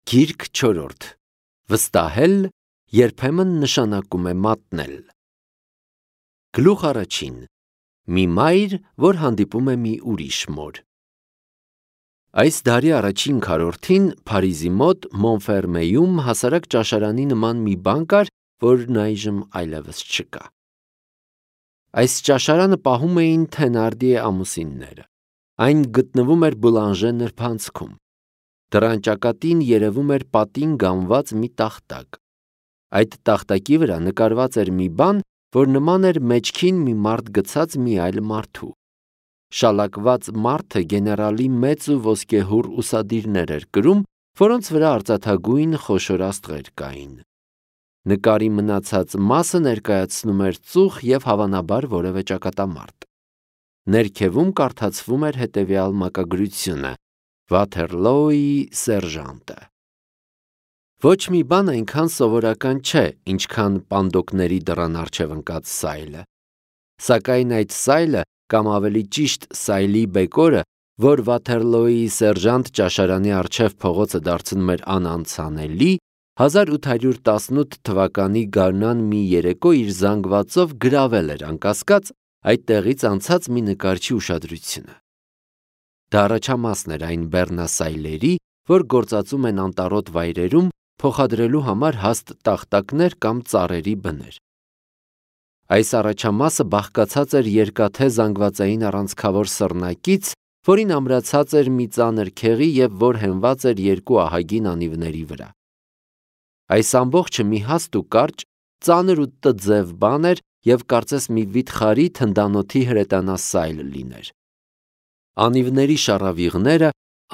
Գիրք 4. Վստահել երբեմն նշանակում է մատնել։ Գլուխ առաջին. Մի մայր, որ հանդիպում է մի ուրիշ մոր։ Այս դարի առաջին քառորդին Փարիզի մոտ Մոնֆերմեյում հասարակ ճաշարանի նման մի բան կար, որն այժմ այլևս չկա։ Այս ճաշարանը պահում էին Թենարդիե ամուսինները։ Այն գտնվում էր Բուլանժե նրբանցքում։ Դռան ճակատին երևում էր պատին գամված մի տախտակ։ Այդ տախտակի վրա նկարված էր մի բան, որ նման էր մեջքին մի մարդ գցած մի այլ մարդու։ Շալակված մարդը գեներալի մեծ ու ոսկեհուռ ուսադիրներ էր կրում, որոնց վրա արծաթագույն խոշոր աստղեր կային։ Նկարի մնացած մասը ներկայացնում էր ծուխ և հավանաբար որևէ ճակատամարտ։ Ներքևում կարդացվում էր հետևյալ մակագրությունը. Վաթերլոուի սերժանտը։ Ոչ մի բան այնքան սովորական չէ, ինչքան պանդոկների դռան առջև ընկած սայլը։ Սակայն այդ սայլը, կամ ավելի ճիշտ սայլի բեկորը, որ Վաթերլոուի սերժանտ ճաշարանի առջև փողոցը դարձնում էր անանցանելի, 1818 թվականի գարնան մի երեկո իր զանգվածով գրավել էր անկասկած այդ տեղից անցած մի նկարչի ուշադրությունը։ Դա առաջամասն էր այն բեռնասայլերի, որ գործածում են անտառոտ վայրերում փոխադրելու համար հաստ տախտակներ կամ ծառերի բներ։ Այս առաջամասը բաղկացած էր երկաթե զանգվածային առանցքավոր սռնակից, որին ամրացած էր մի ծանր քեղի և որ հենված էր երկու ահագին անիվների վրա։ Այս ամբողջը մի հաստ ու կարճ, ծանր ու տձև բան էր և կարծես մի վիթխարի թնդանոթի հրետանասայլ լիներ։ Անիվների շառավիղները,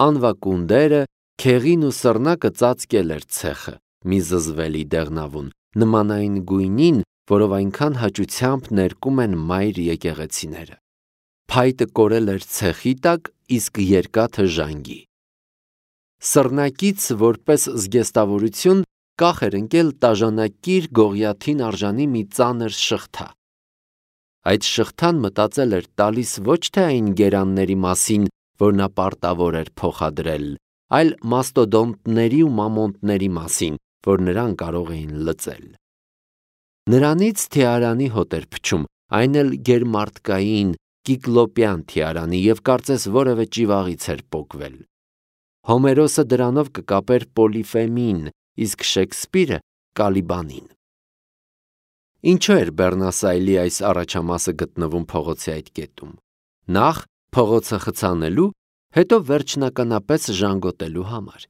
անվակունդերը, քեղին ու սռնակը ծածկել էր ցեխը, մի զզվելի դեղնավուն, նման այն գույնին, որով այնքան հաճությամբ ներկում են մայր եկեղեցիները։ Փայտը կորել էր ցեխի տակ, իսկ երկաթը ժանգի։ Սռնակից, որպես զգեստավորություն, կախ էր ընկել տաժանակիր գողիաթին արժանի մի ծանր շղթա։ Այդ շղթան մտածել էր տալիս ոչ թե այն գերանների մասին, որ նա պարտավոր էր փոխադրել, այլ մաստոդոնտների ու մամոնտների մասին, որ նրան կարող էին լծել։ Նրանից թիարանի հոտ էր փչում, այն էլ գերմարդկային, կիկլոպյան թիարանի և կարծես որևէ ճիվաղից էր պոկվել։ Հոմերոսը դրանով կկապեր Պոլիֆեմին, իսկ Շեքսպիրը Կալիբանին։ Ինչու էր բեռնասայլի այս առաջամասը գտնվում փողոցի այդ կետում։ Նախ փողոցը խցանելու, հետո վերջնականապես ժանգոտելու համար։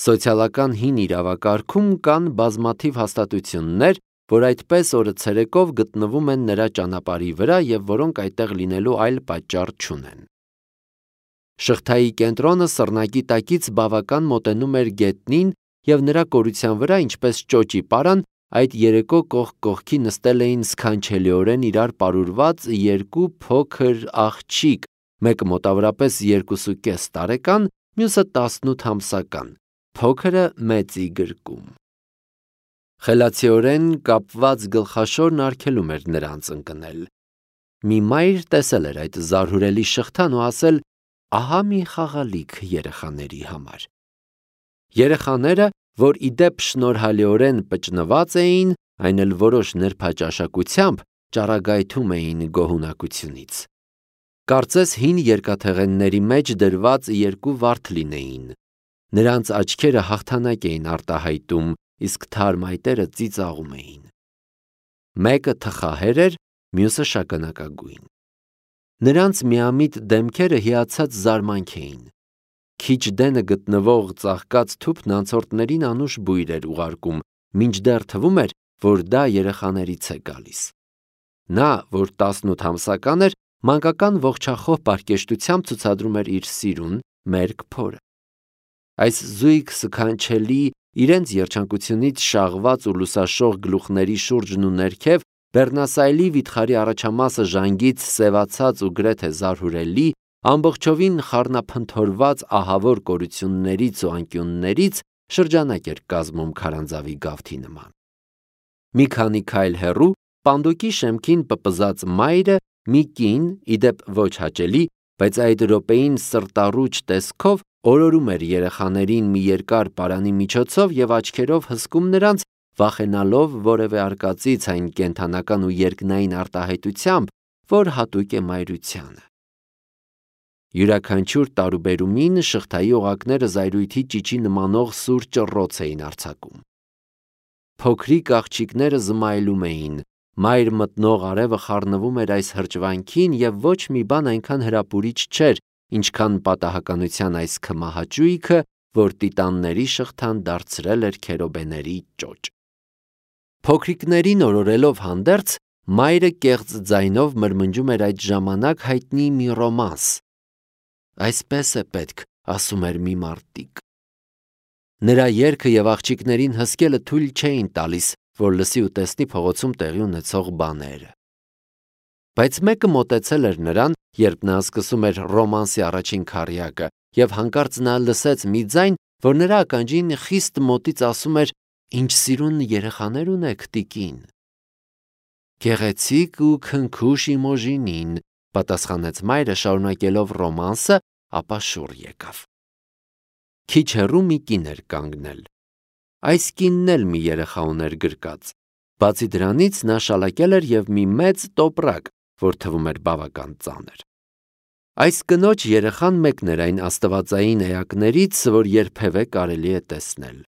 Սոցիալական հին իրավակարգում կան բազմաթիվ հաստատություններ, որ այդպես օրը ցերեկով գտնվում են նրա ճանապարհի վրա և որոնք այդտեղ լինելու այլ պատճառ չունեն։ Շղթայի կենտրոնը սռնակի տակից բավական մոտենում էր գետնին և նրա կորության վրա, ինչպես ճոճի պարան, այդ երեկո կողք կողքի նստել էին սքանչելիորեն իրար պարուրված երկու փոքր աղջիկ, մեկը մոտավորապես 2.5 տարեկան, մյուսը 18 ամսական, փոքրը մեծի գրկում։ Խելացիորեն կապված գլխաշորն արգելում էր նրանց ընկնել։ Մի մայր տեսել էր այդ զարհուրելի շղթան ու ասել. ահա մի խաղալիք երեխաների համար։ Երեխաները, որ ի դեպ շնորհալիորեն պճնված էին, այն էլ որոշ նրբաճաշակությամբ, ճառագայթում էին գոհունակությունից։ Կարծես հին երկաթեղենների մեջ դրված երկու վարդ լինեին։ Նրանց աչքերը հաղթանակ էին արտահայտում, իսկ թարմ այտերը ծիծաղում էին։ Մեկը թխահեր էր, մյուսը շագանակագույն։ Նրանց միամիտ դեմքերը հիացած զարմանք էին։ Քիչ դենը գտնվող ծաղկած թուփն անցորդներին անուշ բույր էր ուղարկում, մինչդեռ թվում էր, որ դա երեխաներից է գալիս։ Նա, որ 18 ամսական էր, մանկական ողջախոհ պարկեշտությամբ ցուցադրում էր իր սիրուն, մերկ փորը։ Այս զույգ սքանչելի, իրենց երջանկությունից շաղված ու լուսաշող գլուխների շուրջն ու ներքև բեռնասայլի վիթխարի առաջամասը ժանգից սևացած ու գրեթե զարհուրելի, ամբողջովին խառնափնթորված ահավոր կորություններից ու անկյուններից շրջանակ էր կազմում քարանձավի գավթի նման։ Մի քանի քայլ հեռու պանդոկի շեմքին պպզած մայրը մի կին, ի դեպ ոչ հաճելի, բայց այդ րոպեին սրտառուչ տեսքով օրորում էր երեխաներին մի երկար պարանի միջոցով և աչքերով հսկում նրանց, վախենալով որևէ արկածից այն կենդանական ու երկնային արտահայտությամբ, որ հատուկ է մայրությանը։ Յուրաքանչյուր տարուբերումին շղթայի օղակները զայրույթի ճիճի նմանող սուր ճռռոց էին արձակում։ Փոքրիկ աղջիկները զմայլում էին, մայր մտնող արևը խառնվում էր այս հրճվանքին և ոչ մի բան այնքան հրապուրիչ չէր, ինչքան պատահականության այս քմահաճույքը, որ տիտանների շղթան դարձրել էր քերոբեների ճոճ։ Փոքրիկներին օրորելով հանդերձ, մայրը կեղծ ձայնով մրմնջում էր այդ ժամանակ հայտնի մի ռոմանս։ «Այսպես է պետք», ասում էր մի մարտիկ։ Նրա երգը և աղջիկներին հսկելը թույլ չէին տալիս, որ լսի ու տեսնի փողոցում տեղի ունեցող բաները։ Բայց մեկը մոտեցել էր նրան, երբ նա սկսում էր ռոմանսի առաջին քառյակը, և հանկարծ նա լսեց մի ձայն, որ նրա ականջին խիստ մոտից ասում էր. «Ինչ սիրուն երեխաներ ունեք, տիկին»։ «Գեղեցիկ ու քնքուշ իմոժինին», պատասխանեց մայրը, շարունակելով ռոմանսը, ապա շուռ եկավ։ Քիչ հեռու մի կին էր կանգնել։ Այս կինն էլ մի երեխա ուներ գրկած։ Բացի դրանից նա շալակել էր և մի մեծ տոպրակ, որ թվում էր բավական ծանր։ Այս կնոջ երեխան մեկն էր այն աստվածային էակներից, որ երբևէ կարելի է տեսնել։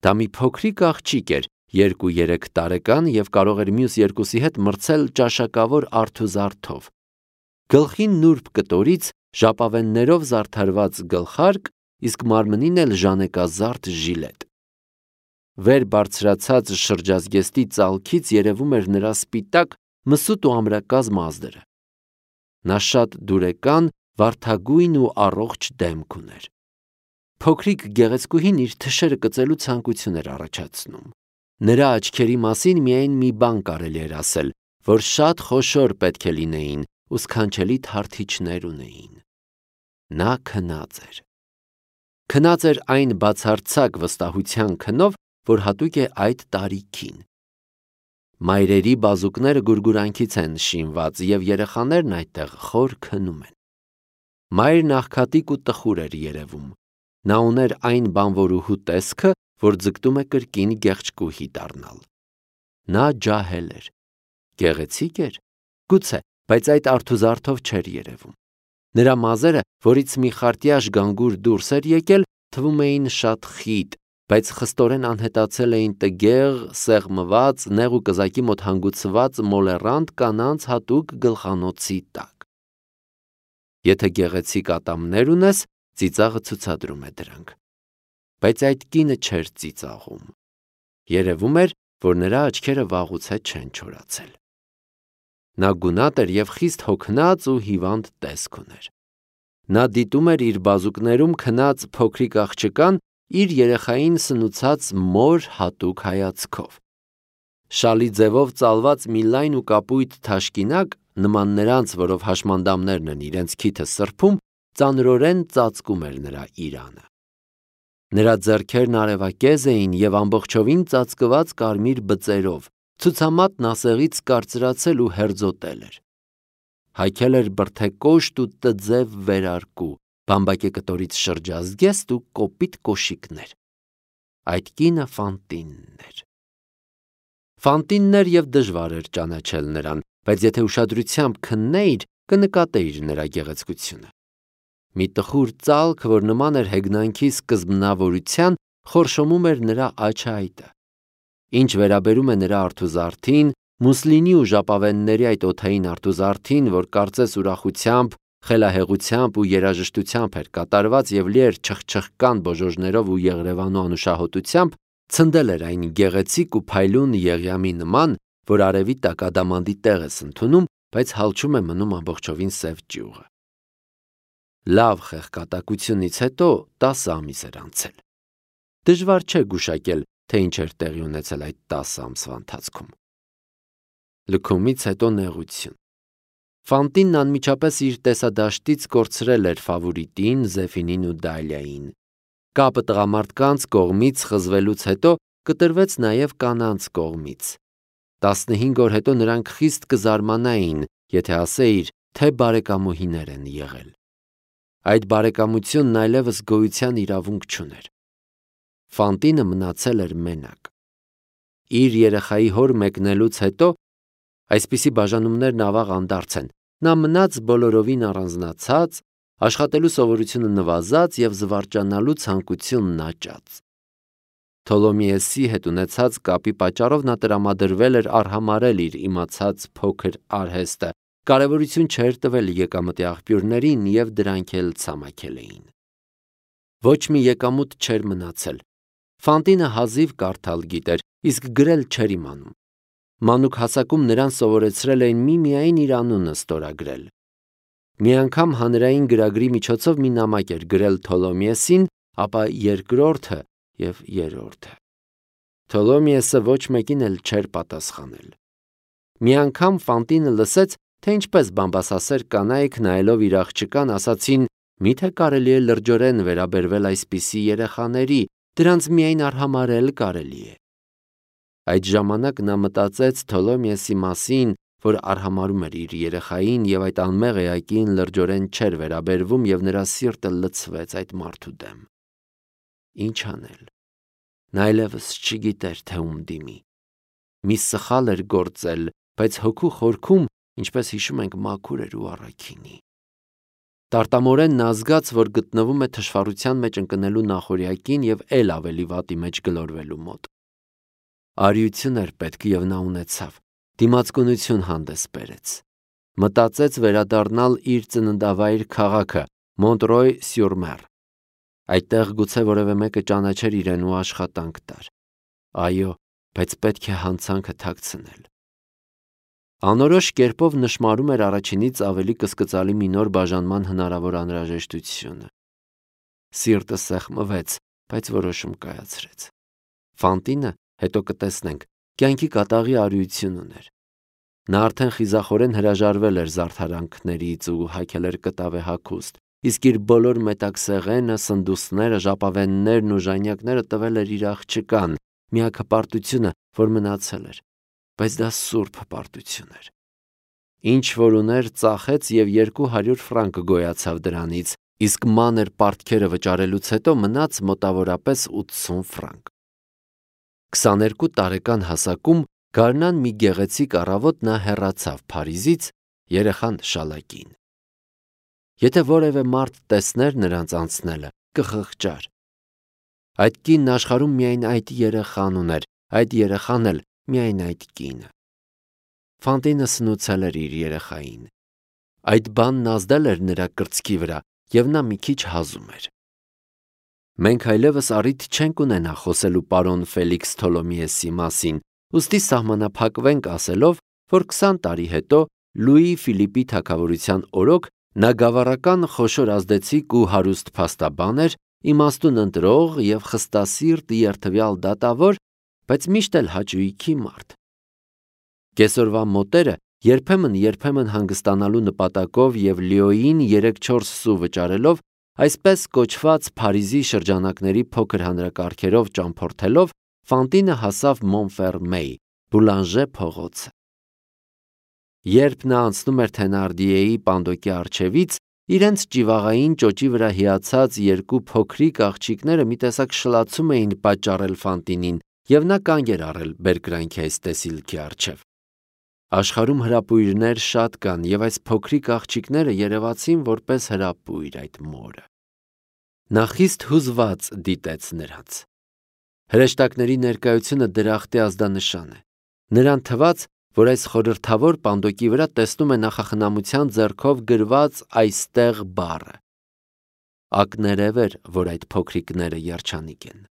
Դա մի փոքրիկ աղջիկ էր, 2-3 տարեկան և կարող էր մյուս երկուսի հետ մրցել ճաշակավոր արթուզարդով։ Գլխին նուրբ կտորից ժապավեններով զարդարված գլխարկ, իսկ մարմնին էլ ժանեկազարդ ժիլետ։ Վեր բարձրացած շրջազգեստի ծալքից երևում էր նրա սպիտակ, մսուտ ու ամրակազմ ազդրը։ Նա շատ դուրեկան, վարդագույն ու առողջ դեմք ուներ։ Փոքրիկ գեղեցկուհին իր թշերը կծելու ցանկություն էր առաջացնում։ Նրա աչքերի մասին միայն մի բան կարելի էր ասել, որ շատ խոշոր պետք է լինեին ու սքանչելի թարթիչներ ունեին։ Նա քնած էր։ Քնած էր այն բացարձակ վստահության քնով, որ հատուկ է այդ տարիքին։ Մայրերի բազուկները գուրգուրանքից են շինված, և երեխաներն այդտեղ խոր քնում են։ Մայրն աղքատիկ ու տխուր էր երևում։ Նա ուներ այն բանվորուհու տեսքը, որ ձգտում է կրկին գեղեցկուհի դառնալ։ Նա ջահել էր։ Գեղեցիկ էր, գուցե, բայց այդ արթուզարդով չէր երևում։ Նրա մազերը, որից մի խարտյաշ գանգուր դուրս էր եկել, թվում էին շատ խիտ, բայց խստորեն անհետացել էին տգեղ, սեղմված, նեղ ու կզակի մոտ հանգուցված մոլեռանդ կանանց հատուկ գլխանոցի տակ։ Եթե գեղեցիկ ատամներ ունես, ծիծաղը ցուցադրում է դրանք։ Բայց այդ կինը չէր ծիծաղում։ Երևում էր, որ նրա աչքերը վաղուց է չեն չորացել։ Նա գունատ էր և խիստ հոգնած ու հիվանդ տեսք ուներ։ Նա դիտում էր իր բազուկներում քնած փոքրիկ աղջկան իր երեխային սնուցած մոր հատուկ հայացքով։ Շալի ձևով ծալված մի լայն ու կապույտ թաշկինակ, նման նրանց, որով հաշմանդամներն են իրենց քիթը սրբում, ծանրորեն ծածկում էր նրա իրանը։ Նրա ձեռքերն արևակեզ էին և ամբողջովին ծածկված կարմիր բծերով, ցուցամատն ասեղից կարծրացել ու հերձոտել էր։ Հագել էր բրդեկոշտ ու տձև վերարկու, բամբակե կտորից շրջազգեստ ու կոպիտ կոշիկներ։ Այդ կինը Ֆանտինն էր։ Ֆանտինն էր և դժվար էր ճանաչել նրան, բայց եթե ուշադրությամբ քննեիր, կնկատեիր նրա գեղեցկությունը։ Մի տխուր ծալք, որ նման էր հեգնանքի սկզբնավորության, խորշոմում էր նրա աչայտը։ Ինչ վերաբերում է նրա արթուզարդին, մուսլինի ու ժապավենների այդ օդային արթուզարդին, որ կարծես ուրախությամբ, խելահեղությամբ ու երաժշտությամբ էր կատարված և լի էր չխչխկան բոժոժներով ու եղրևանու անուշահոտությամբ, ցնդել էր այն գեղեցիկ ու փայլուն եղյամի նման, որ արևի տակ ադամանդի տեղ ես ընդունում, բայց հալչում է մնում ամբողջովին սև ճյուղը։ Լավ խեղկատակությունից հետո 10 ամիս էր անցել։ Դժվար չէ գուշակել, թե ինչ էր տեղի ունեցել այդ 10 ամսվա ընթացքում։ Լքումից հետո նեղություն։ Ֆանտինն անմիջապես իր տեսադաշտից կորցրել էր Ֆավորիտին, Զեֆինին ու Դալիային։ Կապը տղամարդկանց կողմից խզվելուց հետո կտրվեց նաև կանանց կողմից։ 15 օր հետո նրանք խիստ կզարմանային, եթե ասեիր, թե բարեկամուհիներ են եղել։ Այդ բարեկամությունն այլևս գոյության իրավունք չուներ։ Ֆանտինը մնացել էր մենակ։ Իր երեխայի հոր մեկնելուց հետո, այսպիսի բաժանումներն ավաղ անդարձ են, նա մնաց բոլորովին առանձնացած, աշխատելու սովորությունը նվազած և զվարճանալու ցանկությունն աճած։ Թոլոմեյեսի հետ ունեցած կապի պատճառով նա տրամադրվել էր արհամարհել իր իմացած փոքր արհեստը, կարևորություն չէր տվել եկամտի աղբյուրներին և դրանք էլ ցամաքել էին։ Ոչ մի եկամուտ չէր մնացել։ Ֆանտինը հազիվ կարդալ գիտեր, իսկ գրել չէր իմանում։ Մանուկ հասակում նրան սովորեցրել էին միմիայն իր անունը ստորագրել։ Մի անգամ հանրային գրագրի միջոցով մի նամակ էր գրել Թոլոմեյեսին, ապա երկրորդը և երրորդը։ Թոլոմեյեսը ոչ մեկին էլ չէր պատասխանել։ Մի անգամ Ֆանտինը լսեց, թե ինչպես բամբասասեր կանայք նայելով իր աղջկան ասացին. «Միթե կարելի է լրջորեն վերաբերվել այսպիսի երեխաների, դրանց միայն արհամարհել կարելի է»։ Այդ ժամանակ նա մտածեց Թոլոմեյեսի մասին, որ արհամարհում էր իր երեխային և այդ անմեղ էակին լրջորեն չէր վերաբերվում, և նրա սիրտը լցվեց այդ մարդու դեմ։ Ինչ անել։ Նա այլևս չգիտեր, թե ում դիմի։ Մի սխալ էր գործել, բայց հոգու խորքում, ինչպես հիշում ենք, մաքուր էր ու առաքինի։ Տարտամորեն նա զգաց, որ գտնվում է թշվառության մեջ ընկնելու նախօրյակին և էլ ավելի վատի մեջ գլորվելու մոտ։ Արիություն էր պետք և նա ունեցավ, դիմացկունություն հանդես բերեց։ Մտածեց վերադառնալ իր ծննդավայր քաղաքը Մոնտրոյ-սյուր-Մեր։ Այդտեղ գուցե որևէ մեկը ճանաչեր իրեն ու աշխատանք տար։ Այո, բայց պետք է հանցանքը թաքցնել։ Անորոշ կերպով նշմարում էր առաջինից ավելի կսկծալի մի նոր բաժանման հնարավոր անհրաժեշտությունը։ Սիրտը սեղմվեց, բայց որոշում կայացրեց։ Ֆանտինը, հետո կտեսնենք, կյանքի կատաղի արիություն ուներ։ Նա արդեն խիզախորեն հրաժարվել էր զարդարանքներից ու հագել էր կտավե հագուստ, իսկ իր բոլոր մետաքսեղենը, սնդուստները, ժապավեններն ու ժանյակները տվել էր իր աղջկան, միակ հպարտությունը, որ մնացել էր, բայց դա սուրբ հպարտություն էր։ Ինչ որ ուներ, ծախեց և 200 ֆրանկ գոյացավ դրանից, իսկ մանր պարտքերը վճարելուց հետո մնաց մոտավորապես 80 ֆրանկ։ 22 տարեկան հասակում գարնան մի գեղեցիկ առավոտ նա հեռացավ Փարիզից, երեխան շալակին։ Եթե որևէ մարդ տեսներ նրանց անցնելը, կխղճար։ Այդ կինն աշխարհում միայն այդ երեխան ուներ, այդ երեխան էլ միայն այդ կինը։ Ֆանտինը սնուցել էր իր երեխային։ Այդ բանն ազդել էր նրա կրծքի վրա, և նա մի քիչ հազում էր։ Մենք այլևս առիթ չենք ունենա խոսելու պարոն Ֆելիքս Թոլոմեյեսի մասին, ուստի սահմանափակվենք ասելով, որ 20 տարի հետո Լուի Ֆիլիպի թագավորության օրոք նա գավառական խոշոր ազդեցիկ ու հարուստ փաստաբան էր, իմաստուն ընտրող և խստասիրտ երդվյալ դատավոր, բայց միշտ էլ հաճույքի մարդ։ Կեսօրվա մոտերը երբեմն հանգստանալու նպատակով և Լիոյին 3-4 սու վճարելով, այսպես կոչված Փարիզի շրջանակների փոքր հանրակարգերով ճամփորդելով, Ֆանտինը հասավ Մոնֆերմեյ, Բուլանժե փողոցը։ Երբ նա անցնում էր Թենարդիեի պանդոկի առջևից, իրենց ճիվաղային ճոճի վրա հիացած երկու փոքրիկ աղջիկները մի տեսակ շլացում էին պատճառել Ֆանտինին, և նա կանգ էր առել բերկրանքի այս տեսիլքի առջև։ Աշխարհում հրապույրներ շատ կան, և այս փոքրիկ աղջիկները երևացին որպես հրապույր այդ մորը։ Նա խիստ հուզված դիտեց նրանց։ Հրեշտակների ներկայությունը դրախտի ազդանշան է։ Նրան թվաց, որ այս խորհրդավոր պանդոկի վրա տեսնում է նախախնամության ձեռքով գրված «այստեղ» բառը։ Ակներև էր, որ այդ փոքրիկները երջանիկ են։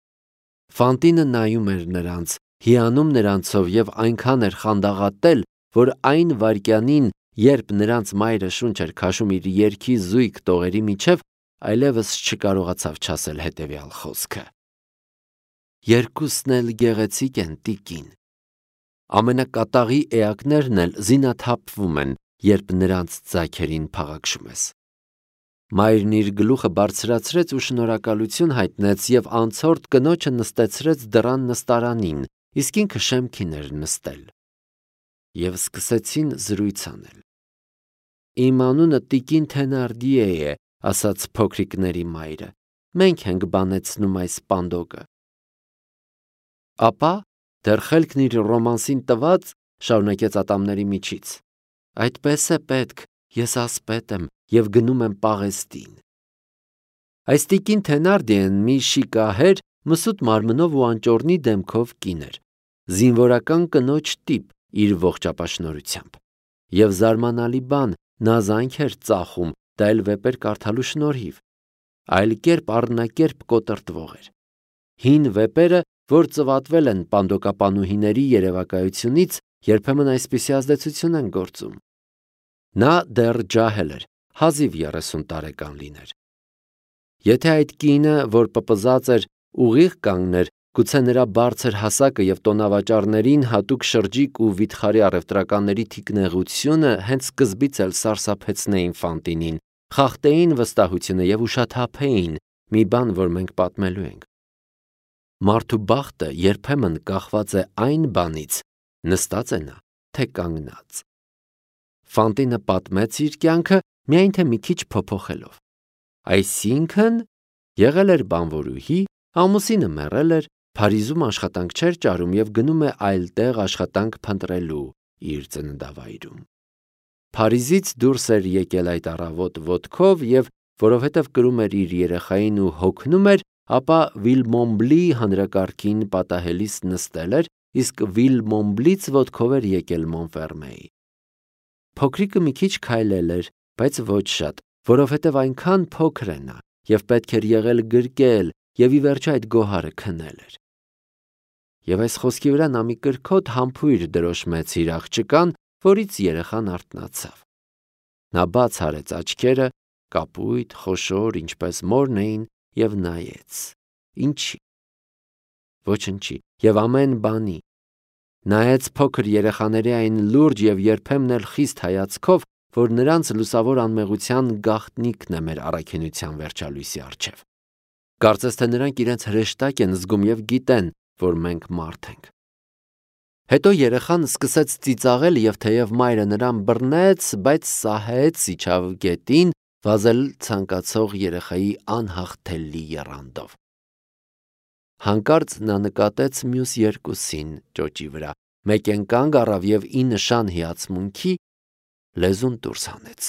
Ֆանտինը նայում էր նրանց, հիանում նրանցով և այնքան էր խանդաղատել, որ այն վայրկյանին, երբ նրանց մայրը շունչ էր քաշում իր երգի զույգ տողերի միջև, այլևս չկարողացավ չասել հետևյալ խոսքը. «Երկուսն էլ գեղեցիկ են, տիկին»։ Ամենակատաղի էակներն էլ զինաթափվում են, երբ նրանց ձագերին փաղաքշում ես։ Մայրն իր գլուխը բարձրացրեց ու շնորհակալություն հայտնեց և անցորդ կնոջը նստեցրեց դռան նստարանին, իսկ ինքը շեմքին էր նստել։ Եվ սկսեցին զրույց անել։ «Իմ անունը տիկին Թենարդիե է, ասաց փոքրիկների մայրը, մենք ենք բանեցնում այս պանդոկը։ Ապա դեռ խելքն իր ռոմանսին տված, շարունակեց ատամների միջից, այդպես է պետք, ես ասպետ եմ և գնում եմ պաղեստին։ Այս տիկին Թենարդիեն մի շիկահեր, մսուտ մարմնով ու անճոռնի դեմքով կին էր, զինվորական կնոջ տիպ իր ողջ ապաշնորհությամբ, և զարմանալի բան, նա զայնք էր ծախում, դա էլ վեպեր կարդալու շնորհիվ, այլ կերպ առնակերպ կոտրտվող էր։ Հին վեպերը, որ ծվատվել են պանդոկապանուհիների երևակայությունից, երբեմն այսպիսի ազդեցություն են գործում։ Նա դեռ ջահել էր, հազիվ 30 տարեկան լիներ։ Եթե այդ կինը, որ պպզած էր, ուղիղ կանգներ, գուցե նրա բարձր հասակը և տոնավաճառներին հատուկ շրջիկ ու վիթխարի առևտրականների թիկնեղությունը հենց սկզբից էլ սարսափեցնեին Ֆանտինին, խախտեին վստահությունը և ուշաթափեին, մի բան, որ մենք պատմելու ենք։ Մարդու բախտը երբեմն կախված է այն բանից, նստած է նա, թե կանգնած։ Ֆանտինը պատմեց իր կյանքը, միայն թե մի քիչ փոփոխելով։ Այսինքն, եղել էր բանվորուհի, ամուսինը մեռել էր, Փարիզում աշխատանք չէր ճարում և գնում է այլ տեղ աշխատանք փնտրելու իր ծննդավայրում։ Փարիզից դուրս էր եկել այդ առավոտ ոտքով և, որովհետև կրում էր իր երեխային ու հոգնում էր, ապա Վիլմոնբլի հանրակարգին պատահելիս նստել էր, իսկ Վիլմոնբլից ոտքով էր եկել Մոնֆերմեի։ Փոքրիկը մի քիչ քայլել էր, բայց ոչ շատ, որովհետև այնքան փոքր է նա, և պետք էր եղել գրկել, և ի վերջո այդ գոհարը քնել էր։ Եվ այս խոսքի վրա նա մի կրքոտ համբույր դրոշմեց իր աղջկան, որից երեխան արթնացավ։ Նա բաց արեց աչքերը, կապույտ, խոշոր, ինչպես մորն էին, և նայեց։ Ինչի։ Ոչնչի և ամեն բանի։ Նայեց փոքր երեխաների այն լուրջ և երբեմն էլ խիստ հայացքով, որ նրանց լուսավոր անմեղության գաղտնիքն է մեր առաքինության վերջալույսի առջև։ Կարծես թե նրանք իրենց հրեշտակ են զգում և գիտեն, որ մենք մարդ ենք։ Հետո երեխան սկսեց ծիծաղել և թեև մայրը նրան բռնեց, բայց սահեց, իջավ գետին, վազել ցանկացող երեխայի անհաղթելի եռանդով։ Հանկարծ նա նկատեց մյուս երկուսին ճոճի վրա, մեկեն կանգ առավ և ի նշան հիացմունքի լեզուն դուրս հանեց։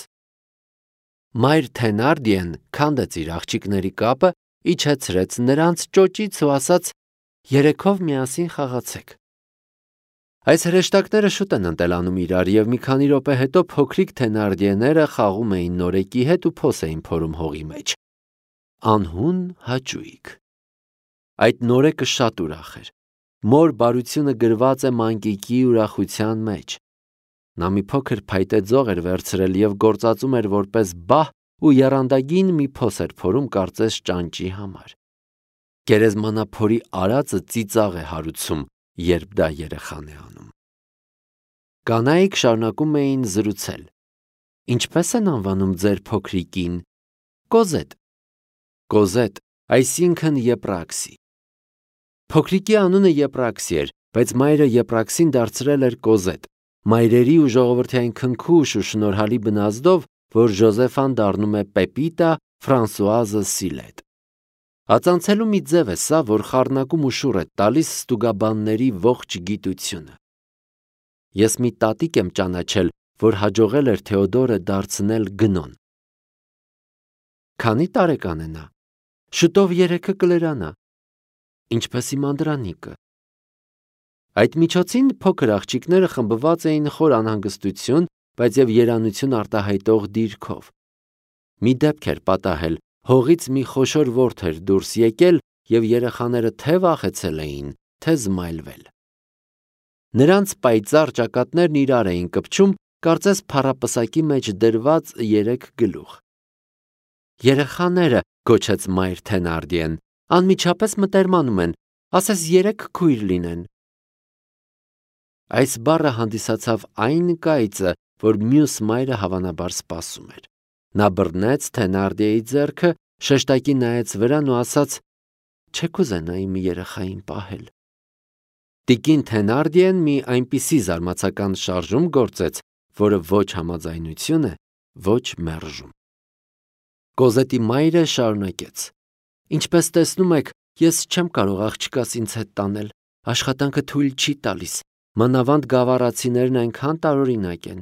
Մայր Թենարդիեն քանդեց իր աղջիկների կապը, իջեցրեց նրանց ճոճից ու ասաց. «Երեքով միասին խաղացեք»։ Այս հրեշտակները շուտ են ընտելանում իրար, և մի քանի րոպե հետո փոքրիկ Թենարդիեները խաղում էին նորեկի հետ ու փոս էին փորում հողի մեջ։ Անհուն հաճույք։ Այդ նորեկը շատ ուրախ էր։ Մոր բարությունը գրված է մանկիկի ուրախության մեջ։ Նա մի փոքր փայտե ձող էր վերցրել և գործածում էր որպես բահ ու եռանդագին մի փոս էր փորում կարծես ճանճի համար։ Գերեզմանափորի արածը ծիծաղ է հարուցում, երբ դա երեխան է անում։ Կանայք շարունակում էին զրուցել։ Ինչպե՞ս են անվանում ձեր փոքրիկին։ Կոզետ։ Կոզետ, այսինքն Եպրաքսի։ Փոքրիկի անունը Եպրաքսի էր, բայց մայրը Եպրաքսին դարձրել էր Կոզետ, մայրերի ու ժողովրդի այն քնքուշ ու շնորհալի բնազդով, որ Ժոզեֆան դառնում է Պեպիտա, Ֆրանսուազը Սիլետ։ Ածանցելու մի ձև է սա, որ խառնակում ու շուռ է տալիս ստուգաբանների ողջ գիտությունը։ Ես մի տատիկ եմ ճանաչել, որ հաջողել էր Թեոդորը դարձնել գնոն։ Քանի տարեկան է նա։ Շուտով 3-ը կլրանա։ Ինչպես իմ անդրանիկը։ Այդ միջոցին փոքր աղջիկները խմբված էին խոր անհանգստություն, բայց և երանություն արտահայտող դիրքով։ Մի դեպք էր պատահել, հողից մի խոշոր որդ էր դուրս եկել, և երեխաները թե վախեցել էին, թե զմայլվել։ Նրանց պայծառ ճակատներն իրար էին կպչում, կարծես փառապսակի մեջ դրված 3 գլուխ։ Երեխաները, գոչեց մայր Թենարդիեն, անմիջապես մտերմանում են, ասես 3 քույր լինեն։ Այս բառը հանդիսացավ այն կայծը, որ մյուս մայրը հավանաբար սպասում էր։ Նա բռնեց Թենարդիեի ձեռքը, շեշտակի նայեց վրան ու ասաց. «Չեք ուզենա իմ երեխային պահել»։ Տիկին Թենարդիեն մի այնպիսի զարմացական շարժում գործեց, որը ոչ համաձայնություն է, ոչ մերժում։ Կոզետի մայրը շարունակեց. Ինչպես տեսնում եք, ես չեմ կարող աղջկաս ինձ հետ տանել, աշխատանքը թույլ չի տալիս, մանավանդ գավառացիներն այնքան տարօրինակ են։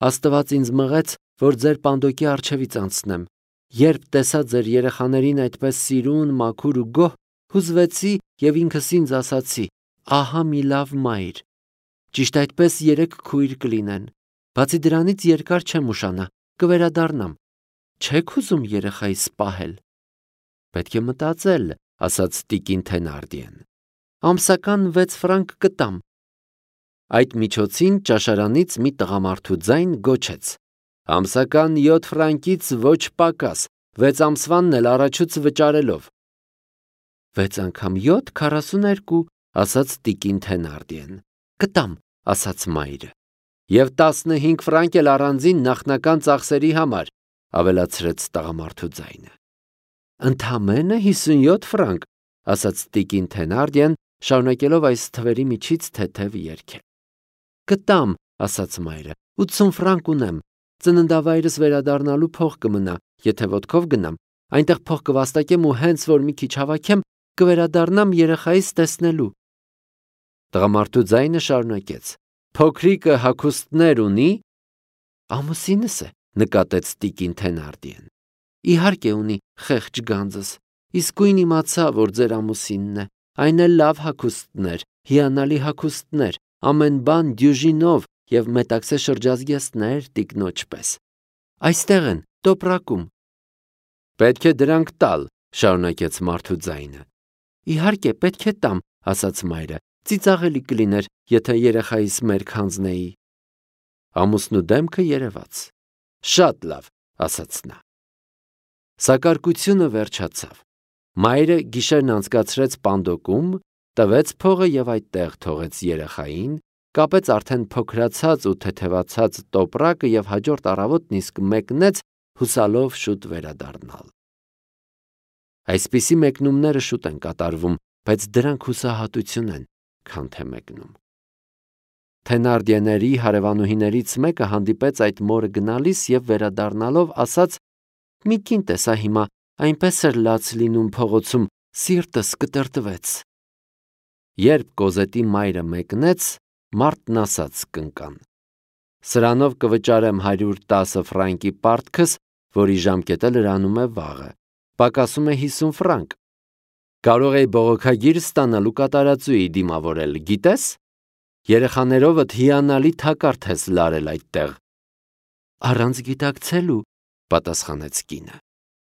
Աստված ինձ մղեց, որ ձեր պանդոկի առջևից անցնեմ։ Երբ տեսա ձեր երեխաներին այդպես սիրուն, մաքուր ու գոհ, հուզվեցի և ինքս ինձ ասացի. ահա մի լավ մայր։ Ճիշտ այդպես 3 քույր կլինեն։ Բացի դրանից երկար չեմ ուշանա, կվերադառնամ։ Չեք ուզում երեխայիս պահել։ Պետք է մտածել, ասաց տիկին Թենարդիեն։ Ամսական 6 ֆրանկ կտամ։ Այդ միջոցին ճաշարանից մի տղամարդու ձայն գոչեց. Ամսական 7 ֆրանկից ոչ պակաս, 6 ամսվանն էլ առաջուց վճարելով։ 6 անգամ 7 42, ասաց տիկին Թենարդիեն։ Կտամ, ասաց մայրը։ Եվ 15 ֆրանկ էլ առանձին նախնական ծախսերի համար, ավելացրեց տղամարդու ձայնը։ Ընդամենը 57 ֆրանկ, ասաց տիկին Թենարդիեն, շարունակելով այս թվերի միջից թեթև երգել։ Կտամ, ասաց մայրը, 80 ֆրանկ ունեմ։ Ծննդավայրս վերադառնալու փող կմնա, եթե ոտքով գնամ, այնտեղ փող կվաստակեմ ու հենց որ մի քիչ հավաքեմ, կվերադառնամ երեխայիս տեսնելու։ Տղամարդու ձայնը շարունակեց. Փոքրիկը հագուստներ ունի։ Ամուսինս է, նկատեց տիկին Թենարդիեն։ Իհարկե ունի, խեղճ գանձս։ Իսկույն իմացա, որ ձեր ամուսինն է, այն էլ լավ հագուստներ, հիանալի հագուստներ, ամեն բան դյուժինով և մետաքսե շրջազգեստներ տիկնոջ պես։ Այստեղ են, տոպրակում։ Պետք է դրանք տալ, շարունակեց մարդու ձայնը։ Իհարկե, պետք է տամ, ասաց մայրը, ծիծաղելի կլիներ, եթե երեխայիս մերկ հանձնեի։ Ամուսնու դեմքը երևաց։ Շատ լավ, ասաց նա։ Սակարկությունը վերջացավ։ Մայրը գիշերն անցկացրեց պանդոկում, տվեց փողը և այդտեղ թողեց երեխային, կապեց արդեն փոքրացած ու թեթևացած տոպրակը և հաջորդ առավոտն իսկ մեկնեց, հուսալով շուտ վերադառնալ։ Այսպիսի մեկնումները շուտ են կատարվում, բայց դրանք հուսահատություն են, քան թե մեկնում։ Թենարդիեների հարևանուհիներից մեկը հանդիպեց այդ մորը գնալիս և վերադառնալով ասաց. մի կին տեսա հիմա, այնպես էր լաց լինում փողոցում, սիրտս կտրտվեց։ Երբ Կոզետի մայրը մեկնեց, մարդն ասաց կնկան. Սրանով կվճարեմ 110 ֆրանկի պարտքս, որի ժամկետը լրանում է վաղը, պակասում է 50 ֆրանկ։ Կարող էի բողոքագիր ստանալ ու կատարածուի դիմավորել, գիտես։ Երեխաներովդ հիանալի թակարդ ես լարել այդտեղ։ Առանց գիտակցելու, պատասխանեց կինը։